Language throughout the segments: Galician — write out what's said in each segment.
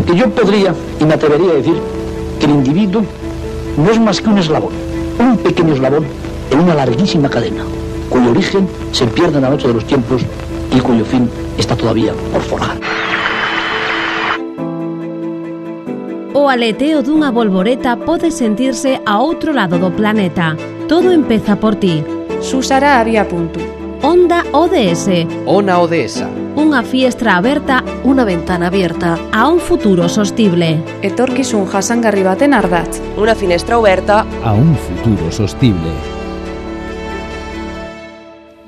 Porque yo podría, y me atrevería a decir, que el individuo no es más que un eslabón, un pequeño eslabón en una larguísima cadena, cuyo origen se pierde en la noche de los tiempos y cuyo fin está todavía por forjar. O aleteo dunha bolboreta pode sentirse a outro lado do planeta. Todo empeza por ti. Susara había punto. Onda ODS. Ona Odesa. Unha fiestra aberta, unha ventana abierta a un futuro sostible. Etorkizun jasangarri baten ardatz. Una finestra oberta a un futuro sostible.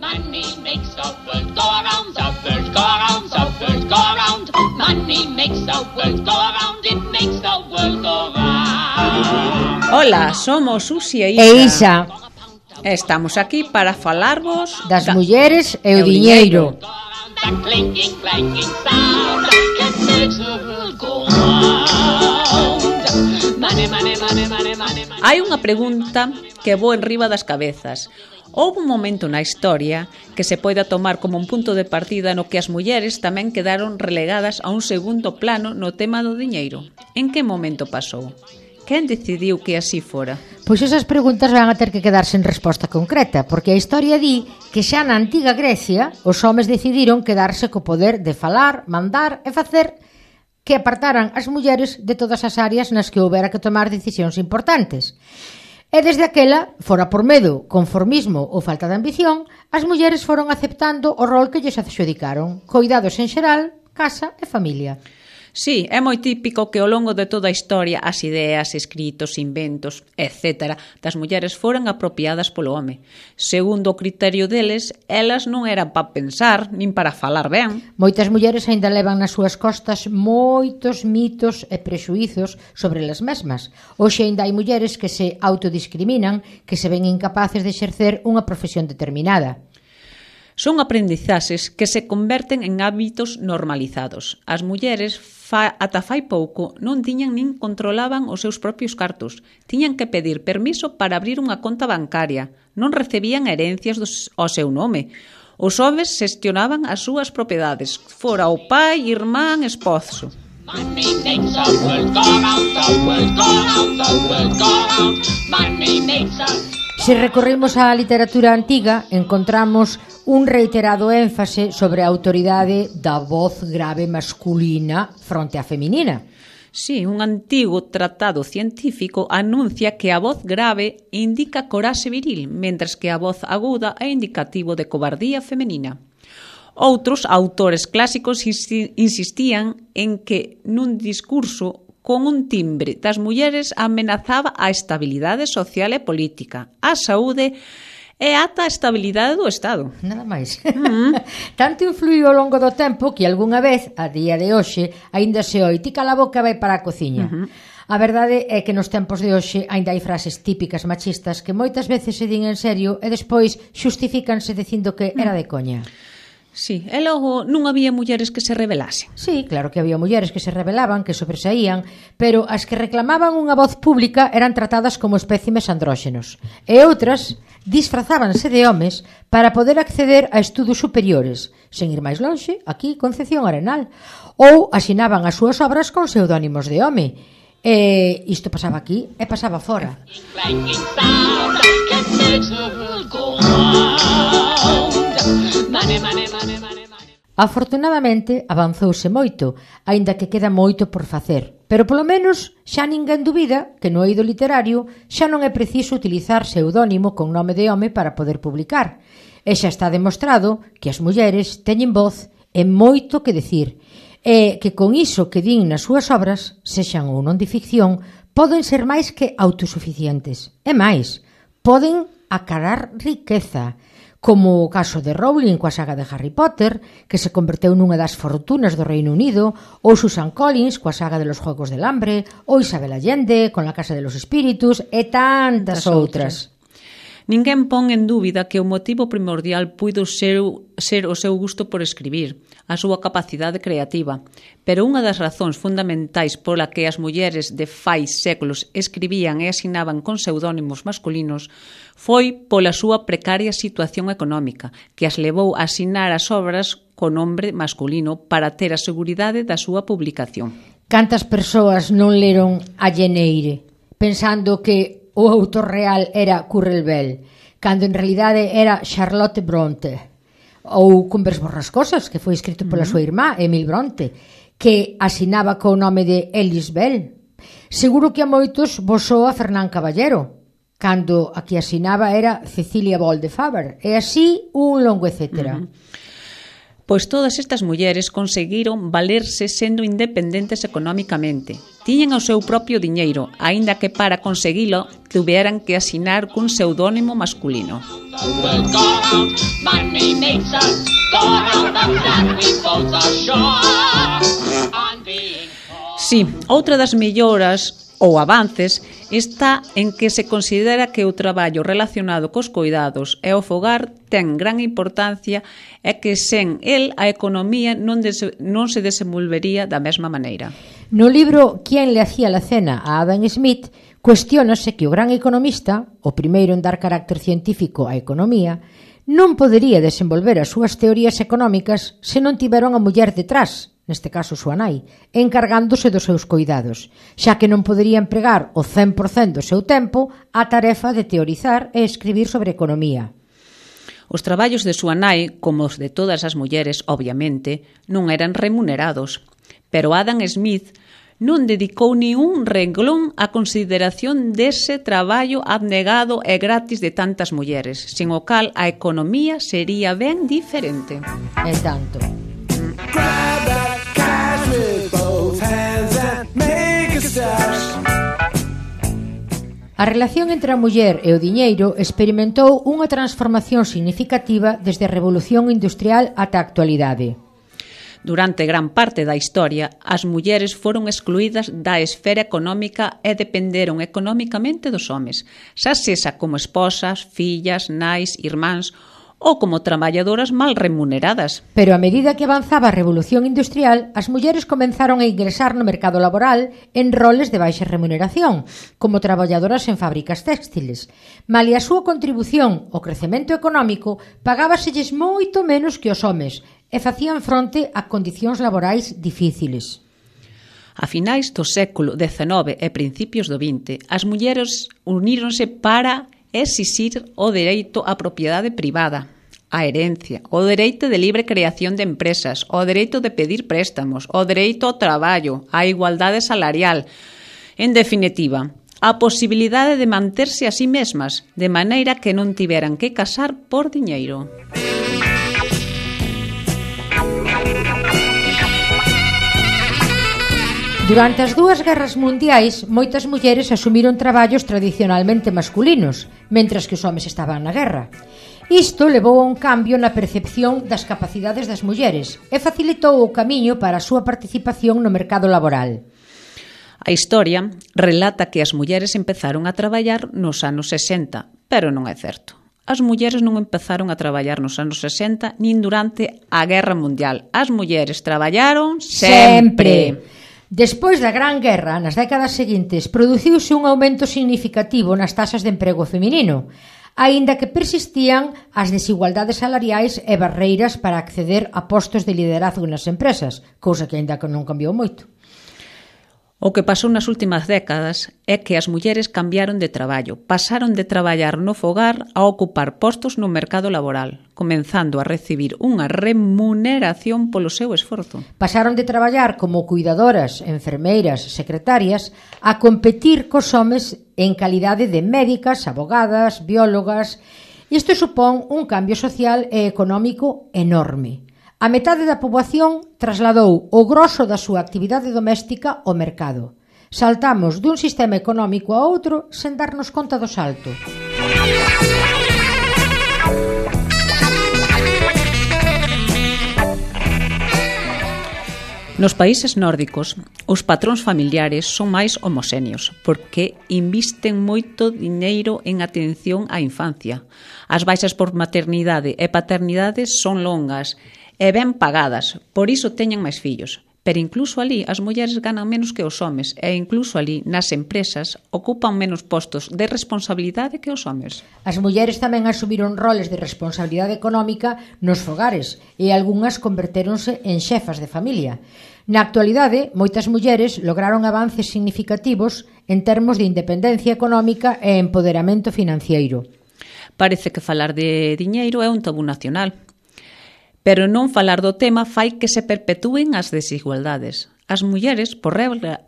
Money makes the world go around, the world go around, the world go around. Money makes the world go around, it makes the world go round. Hola, somos Susi e Isa. Estamos aquí para falarvos das mulleres e o diñeiro. Hai unha pregunta que vou enriba das cabezas. Houve un momento na historia que se poida tomar como un punto de partida no que as mulleres tamén quedaron relegadas a un segundo plano no tema do diñeiro. En que momento pasou? Quen decidiu que así fora? Pois esas preguntas van a ter que quedar sen resposta concreta, porque a historia di que xa na antiga Grecia os homes decidiron quedarse co poder de falar, mandar e facer que apartaran as mulleres de todas as áreas nas que houbera que tomar decisións importantes. E desde aquela, fora por medo, conformismo ou falta de ambición, as mulleres foron aceptando o rol que lles adxudicaron, coidados en xeral, casa e familia. Sí, é moi típico que ao longo de toda a historia as ideas, escritos, inventos, etc. das mulleres foran apropiadas polo home. Segundo o criterio deles, elas non eran para pensar, nin para falar ben. Moitas mulleres aínda levan nas súas costas moitos mitos e prexuízos sobre elas mesmas. Hoxe aínda hai mulleres que se autodiscriminan, que se ven incapaces de exercer unha profesión determinada. Son aprendizaxes que se converten en hábitos normalizados. As mulleres ata fai pouco non tiñan nin controlaban os seus propios cartos. Tiñan que pedir permiso para abrir unha conta bancaria. Non recibían herencias ao seu nome. Os homes xestionaban as súas propiedades, fora o pai, irmán, esposo. Money makes the world go round, the world go round, the world go round. Money makes the... Se recorremos á literatura antiga, encontramos un reiterado énfase sobre a autoridade da voz grave masculina fronte á feminina. Sí, un antigo tratado científico anuncia que a voz grave indica coraxe viril, mentres que a voz aguda é indicativo de cobardía femenina. Outros autores clásicos insistían en que nun discurso con un timbre das mulleres amenazaba a estabilidade social e política, a saúde e ata a estabilidade do Estado. Nada máis. Tanto influiu ao longo do tempo que algunha vez, a día de hoxe, aínda se oi, ti cala a boca vai para a cociña. A verdade é que nos tempos de hoxe aínda hai frases típicas machistas que moitas veces se din en serio e despois xustifícanse dicindo que era de coña. Sí, e logo non había mulleres que se rebelasen. Sí, claro que había mulleres que se rebelaban, que sobresaían, pero as que reclamaban unha voz pública eran tratadas como espécimes andróxenos. E outras disfrazábanse de homes para poder acceder a estudos superiores. Sen ir máis lonxe, aquí Concepción Arenal. Ou asinaban as súas obras con pseudónimos de home. E isto pasaba aquí e pasaba fora. Afortunadamente avanzouse moito, aínda que queda moito por facer, pero polo menos xa ninguén dubida que no eido literario xa non é preciso utilizar pseudónimo con nome de home para poder publicar, e xa está demostrado que as mulleres teñen voz e moito que decir, e que con iso que din nas súas obras, sexan ou non de ficción, poden ser máis que autosuficientes, e máis, poden acarar riqueza, como o caso de Rowling coa saga de Harry Potter, que se converteu nunha das fortunas do Reino Unido, ou Susan Collins coa saga de los Juegos del Hambre, ou Isabel Allende con La Casa de los Espíritus, e tantas outras. Ninguén pon en dúbida que o motivo primordial puido ser o seu gusto por escribir, a súa capacidade creativa, pero unha das razóns fundamentais pola que as mulleres de fai séculos escribían e asinaban con pseudónimos masculinos foi pola súa precaria situación económica, que as levou a asinar as obras con nombre masculino para ter a seguridade da súa publicación. Cantas persoas non leron a Jane Eyre, pensando que o autor real era Currer Bell, cando en realidade era Charlotte Bronte, ou Convers borrascosas, que foi escrito pola súa irmá, Emil Bronte, que asinaba co nome de Alice Bell. Seguro que a moitos vos soa Fernán Caballero, cando a que asinaba era Cecilia Bol de Faber, e así un longo etcétera. Pois todas estas mulleres conseguiron valerse sendo independentes económicamente. Tiñen o seu propio diñeiro, aínda que para conseguilo tuveran que asinar cun pseudónimo masculino. Sí, outra das melloras ou avances está en que se considera que o traballo relacionado cos cuidados e o fogar ten gran importancia e que sen el a economía non se desenvolvería da mesma maneira. No libro Quién le hacía la cena a Adam Smith, cuestiónase que o gran economista, o primeiro en dar carácter científico á economía, non podería desenvolver as súas teorías económicas se non tivera unha muller detrás, neste caso súa nai, encargándose dos seus cuidados, xa que non podería empregar o 100% do seu tempo á tarefa de teorizar e escribir sobre economía. Os traballos de súa nai, como os de todas as mulleres, obviamente, non eran remunerados, pero Adam Smith non dedicou ni un renglón á consideración dese traballo abnegado e gratis de tantas mulleres, sin o cal a economía sería ben diferente. E tanto. Grab that cash with both hands and make a stash. A relación entre a muller e o diñeiro experimentou unha transformación significativa desde a Revolución Industrial ata a actualidade. Durante gran parte da historia, as mulleres foron excluídas da esfera económica e dependeron económicamente dos homes, xa sexa como esposas, fillas, nais, irmáns ou como traballadoras mal remuneradas. Pero a medida que avanzaba a Revolución Industrial, as mulleres comenzaron a ingresar no mercado laboral en roles de baixa remuneración, como traballadoras en fábricas textiles. Malia a súa contribución ao crecemento económico, pagábaselles moito menos que os homes e facían fronte a condicións laborais difíciles. A finais do século XIX e principios do XX, as mulleres uníronse para exixir o dereito á propiedade privada, a herencia, o dereito de libre creación de empresas, o dereito de pedir préstamos, o dereito ao traballo, a igualdade salarial. En definitiva, a posibilidade de manterse a sí mesmas, de maneira que non tiveran que casar por diñeiro. Durante as dúas guerras mundiais, moitas mulleres asumiron traballos tradicionalmente masculinos, mentras que os homes estaban na guerra. Isto levou a un cambio na percepción das capacidades das mulleres e facilitou o camiño para a súa participación no mercado laboral. A historia relata que as mulleres empezaron a traballar nos anos 60, pero non é certo. As mulleres non empezaron a traballar nos anos 60 nin durante a Guerra Mundial. As mulleres traballaron sempre. Despois da Gran Guerra, nas décadas seguintes, produciuse un aumento significativo nas taxas de emprego feminino, aínda que persistían as desigualdades salariais e barreiras para acceder a postos de liderazgo nas empresas, cousa que aínda que non cambiou moito. O que pasou nas últimas décadas é que as mulleres cambiaron de traballo, pasaron de traballar no fogar a ocupar postos no mercado laboral, comenzando a recibir unha remuneración polo seu esforzo. Pasaron de traballar como cuidadoras, enfermeiras, secretarias, a competir cos homes en calidade de médicas, abogadas, biólogas. Isto supón un cambio social e económico enorme. A metade da poboación trasladou o groso da súa actividade doméstica ao mercado. Saltamos dun sistema económico a outro sen darnos conta do salto. Nos países nórdicos, os patróns familiares son máis homoxéneos porque invisten moito diñeiro en atención á infancia. As baixas por maternidade e paternidade son longas e ben pagadas, por iso teñen máis fillos. Pero incluso ali as mulleres ganan menos que os homes e incluso ali nas empresas ocupan menos postos de responsabilidade que os homes. As mulleres tamén asumiron roles de responsabilidade económica nos fogares e algunhas convertéronse en xefas de familia. Na actualidade, moitas mulleres lograron avances significativos en termos de independencia económica e empoderamento financiero. Parece que falar de diñeiro é un tabú nacional. Pero non falar do tema fai que se perpetúen as desigualdades. As mulleres, por regla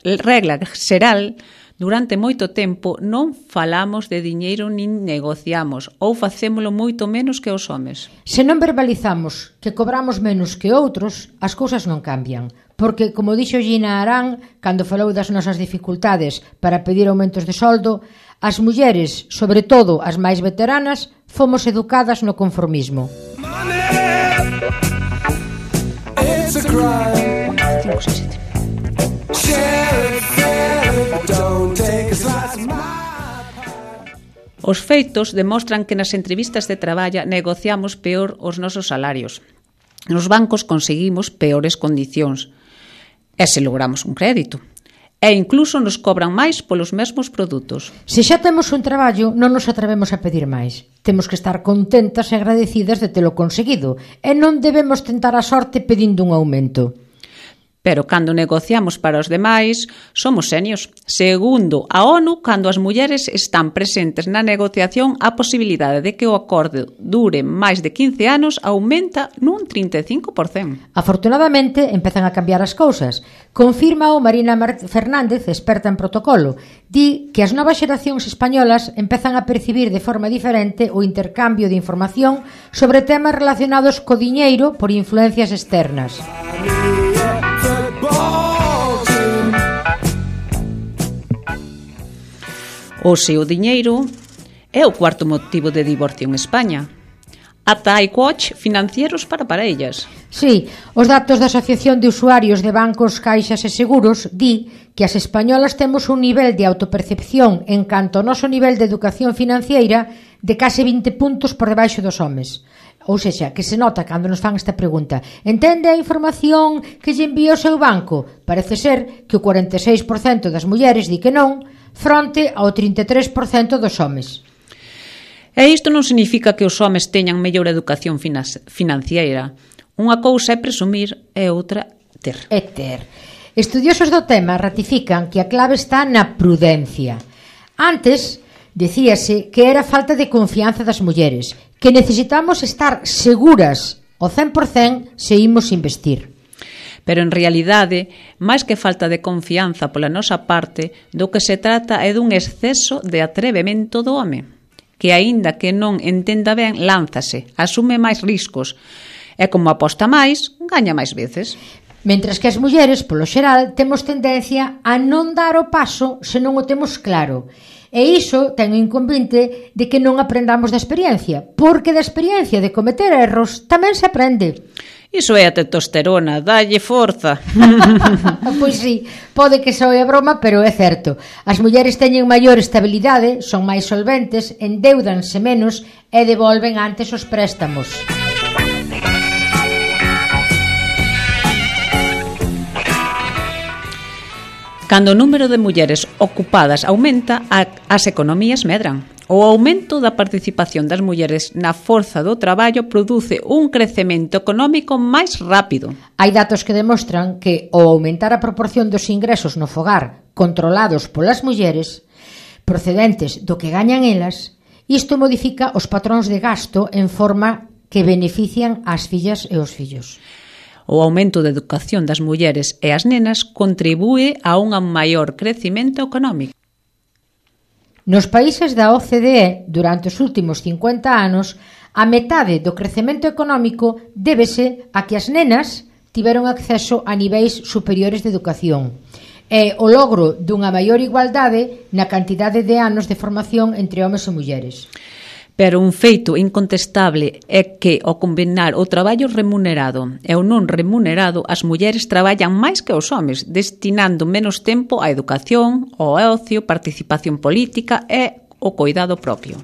xeral, durante moito tempo non falamos de diñeiro nin negociamos ou facémolo moito menos que os homes. Se non verbalizamos que cobramos menos que outros, as cousas non cambian. Porque, como dixo Gina Arán, cando falou das nosas dificultades para pedir aumentos de soldo, as mulleres, sobre todo as máis veteranas, fomos educadas no conformismo. It's a crime. Share it, don't take a slice of my pie. Os feitos demostran que nas entrevistas de traballa negociamos peor os nosos salarios. Nos bancos conseguimos peores condicións. E se logramos un crédito. E incluso nos cobran máis polos mesmos produtos. Se xa temos un traballo, non nos atrevemos a pedir máis. Temos que estar contentas e agradecidas de telo conseguido e non debemos tentar a sorte pedindo un aumento. Pero cando negociamos para os demais, somos senios. Segundo a ONU, cando as mulleres están presentes na negociación, a posibilidade de que o acordo dure máis de 15 anos aumenta nun 35%. Afortunadamente, empezan a cambiar as cousas. Confirma o Marina Fernández, experta en protocolo. Di que as novas xeracións españolas empezan a percibir de forma diferente o intercambio de información sobre temas relacionados co diñeiro por influencias externas. Hoxe o diñeiro é o cuarto motivo de divorcio en España. Ata hai coach financieros para parellas. Sí, os datos da Asociación de Usuarios de Bancos, Caixas e Seguros di que as españolas temos un nivel de autopercepción en canto ao noso nivel de educación financiera de case 20 puntos por debaixo dos homes. Ou sexa, que se nota cando nos fan esta pregunta: entende a información que lle envía o seu banco? Parece ser que o 46% das mulleres di que non, fronte ao 33% dos homes. E isto non significa que os homes teñan mellor educación financiera. Unha cousa é presumir e outra ter. É ter. Estudiosos do tema ratifican que a clave está na prudencia. Antes, dicíase que era falta de confianza das mulleres, que necesitamos estar seguras ao 100% se imos investir. Pero en realidade, máis que falta de confianza pola nosa parte, do que se trata é dun exceso de atrevemento do home, que aínda que non entenda ben, lánzase, asume máis riscos, e como aposta máis, gaña máis veces. Mentras que as mulleres, polo xeral, temos tendencia a non dar o paso se non o temos claro. E iso ten o inconveniente de que non aprendamos da experiencia, porque da experiencia de cometer erros tamén se aprende. Iso é a testosterona, dalle forza. Pois sí, pode que soe a broma, pero é certo. As mulleres teñen maior estabilidade, son máis solventes, endeudanse menos e devolven antes os préstamos. Cando o número de mulleres ocupadas aumenta, as economías medran. O aumento da participación das mulleres na forza do traballo produce un crecemento económico máis rápido. Hai datos que demostran que ao aumentar a proporción dos ingresos no fogar controlados polas mulleres, procedentes do que gañan elas, isto modifica os patróns de gasto en forma que benefician ás fillas e os fillos. O aumento da educación das mulleres e as nenas contribúe a un maior crecemento económico. Nos países da OCDE, durante os últimos 50 anos, a metade do crecemento económico débese a que as nenas tiveron acceso a niveis superiores de educación e o logro dunha maior igualdade na cantidade de anos de formación entre homes e mulleres. Pero un feito incontestable é que, ao combinar o traballo remunerado e o non remunerado, as mulleres traballan máis que os homes, destinando menos tempo á educación, ao ocio, participación política e ao coidado propio.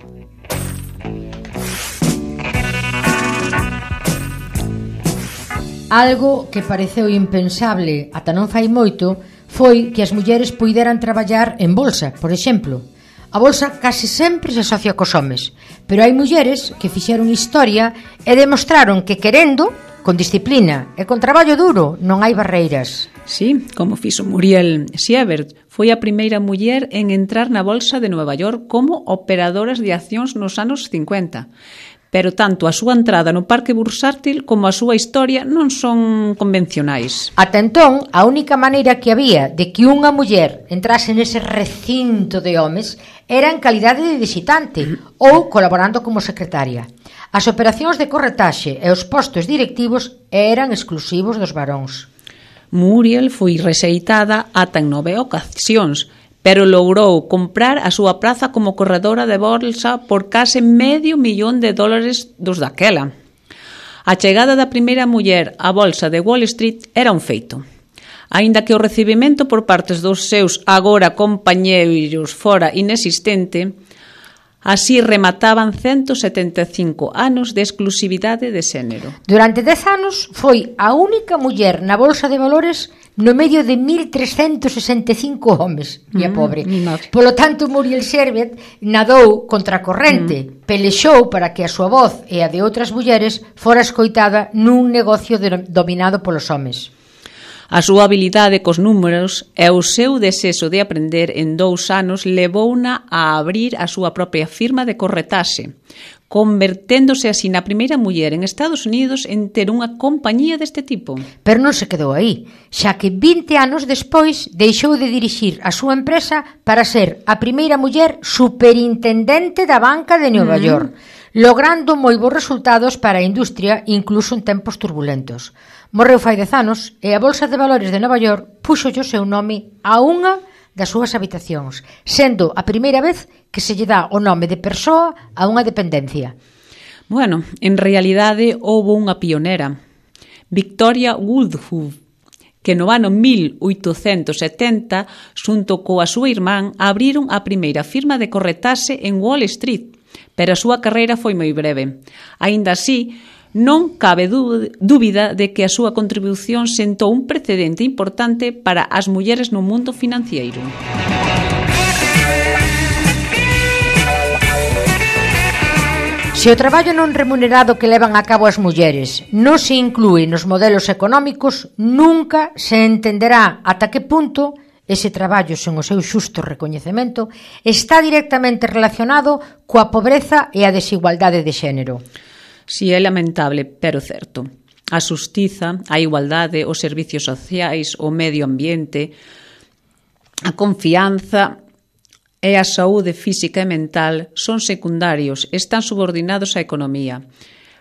Algo que pareceu impensable ata non fai moito foi que as mulleres puideran traballar en bolsa, por exemplo. A bolsa case sempre se asocia cos homes, pero hai mulleres que fixeron historia e demostraron que querendo, con disciplina e con traballo duro, non hai barreiras. Sí, como fixo Muriel Siebert, foi a primeira muller en entrar na bolsa de Nova York como operadoras de accións nos anos 50. Pero tanto a súa entrada no parque bursátil como a súa historia non son convencionais. Ata entón, a única maneira que había de que unha muller entrase nese recinto de homes era en calidade de visitante ou colaborando como secretaria. As operacións de corretaxe e os postos directivos eran exclusivos dos varóns. Muriel foi rexeitada ata en 9 ocasións, pero logrou comprar a súa praza como corredora de bolsa por case $500,000 dos daquela. A chegada da primeira muller á bolsa de Wall Street era un feito. Aínda que o recibimento por partes dos seus agora compañeiros fora inexistente, así remataban 175 anos de exclusividade de xénero. Durante 10 anos foi a única muller na bolsa de valores no medio de 1.365 homes, e a pobre. Polo tanto, Muriel Siebert nadou contra a corrente, pelexou para que a súa voz e a de outras mulleres fora escoitada nun negocio dominado polos homes. A súa habilidade cos números e o seu desexo de aprender en 2 anos levouna a abrir a súa propia firma de corretaxe, converténdose así na primeira muller en Estados Unidos en ter unha compañía deste tipo. Pero non se quedou aí, xa que 20 anos despois deixou de dirixir a súa empresa para ser a primeira muller superintendente da banca de Nova York, logrando moi bons resultados para a industria incluso en tempos turbulentos. Morreu fai 10 anos e a Bolsa de Valores de Nova York púxolle o seu nome a unha das súas habitacións, sendo a primeira vez que se lle dá o nome de persoa a unha dependencia. Bueno, en realidade houve unha pionera, Victoria Woodhull, que no ano 1870, xunto coa súa irmán, abriron a primeira firma de corretaxe en Wall Street, pero a súa carreira foi moi breve. Aínda así, non cabe dúbida de que a súa contribución sentou un precedente importante para as mulleres no mundo financeiro. Se o traballo non remunerado que levan a cabo as mulleres non se inclúe nos modelos económicos, nunca se entenderá ata que punto ese traballo sen o seu xusto recoñecemento está directamente relacionado coa pobreza e a desigualdade de xénero. Si é lamentable, pero certo. A xustiza, a igualdade, os servicios sociais, o medio ambiente, a confianza e a saúde física e mental son secundarios, están subordinados á economía,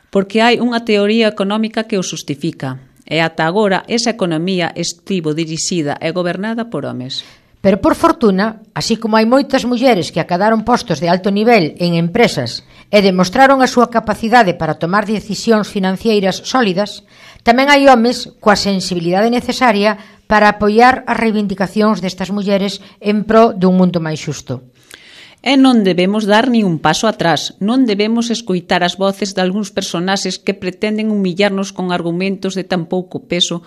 porque hai unha teoría económica que o xustifica, e ata agora esa economía estivo dirixida e gobernada por homes. Pero, por fortuna, así como hai moitas mulleres que acadaron postos de alto nivel en empresas e demostraron a súa capacidade para tomar decisións financeiras sólidas, tamén hai homes coa sensibilidade necesaria para apoiar as reivindicacións destas mulleres en pro dun mundo máis xusto. E non debemos dar ni un paso atrás, non debemos escoitar as voces de algúns personaxes que pretenden humillarnos con argumentos de tan pouco peso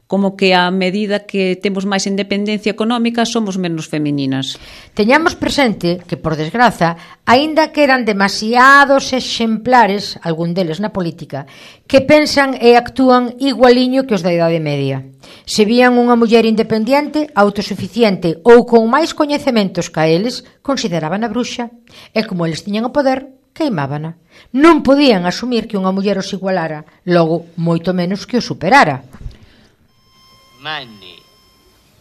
como que a medida que temos máis independencia económica somos menos femininas. Teñamos presente que, por desgraza, aínda quedan demasiados exemplares, algún deles na política, que pensan e actúan igualiño que os da Idade Media. Se vían unha muller independente, autosuficiente ou con máis coñecementos que a eles, consideraban a bruxa. E como eles tiñan o poder, queimábana. Non podían asumir que unha muller os igualara, logo, moito menos que os superara. Money.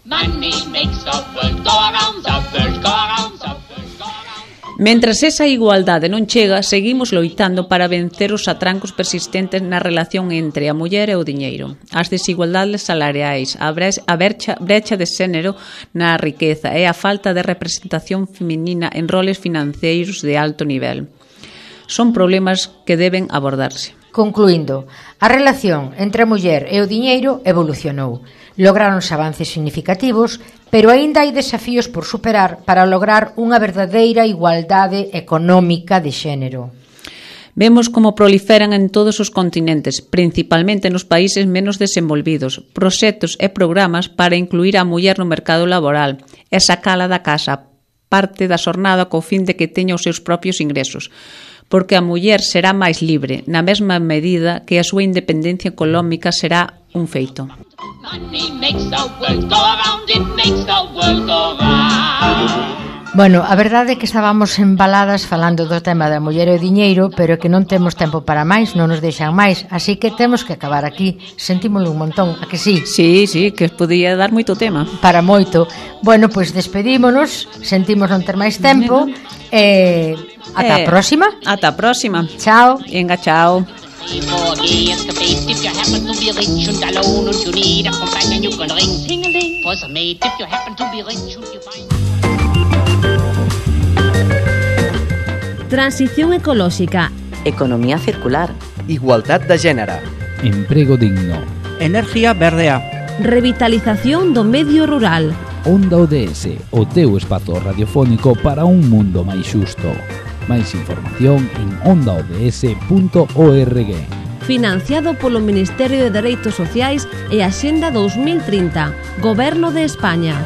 Money makes the world go around, the world go around, the world go around. Mentras esa igualdade non chega, seguimos loitando para vencer os atrancos persistentes na relación entre a muller e o diñeiro, as desigualdades salariais, a brecha de xénero na riqueza e a falta de representación feminina en roles financeiros de alto nivel. Son problemas que deben abordarse. Concluindo, a relación entre a muller e o diñeiro evolucionou. Lográronse avances significativos, pero aínda hai desafíos por superar para lograr unha verdadeira igualdade económica de xénero. Vemos como proliferan en todos os continentes, principalmente nos países menos desenvolvidos, proxectos e programas para incluir a muller no mercado laboral e sacala da casa, parte da xornada co fin de que teña os seus propios ingresos, porque a muller será máis libre, na mesma medida que a súa independencia económica será un feito. Money makes the world go round, it makes the world go round. Bueno, a verdade é que estábamos embaladas falando do tema da muller e o diñeiro, pero que non temos tempo para máis, non nos deixan máis, así que temos que acabar aquí. Sentímolo un montón, a que sí? Sí, que podía dar moito tema. Para moito. Bueno, pois despedímonos, sentimos non ter máis tempo, ata a próxima. Ata a próxima. Chao. For Venga, chao. gay escapades, if you happen to be rich and alone and you need a companion, you can ring ting-a-ling for some mate. If you happen to be rich and you find... Transición ecolóxica. Economía circular. Igualdad de gènere. Emprego digno. Energía verdea. Revitalización do medio rural. Onda ODS, o teu espazo radiofónico para un mundo máis xusto. Máis información en ondaods.org. Financiado polo Ministerio de Dereitos Sociais e Axenda 2030, Goberno de España.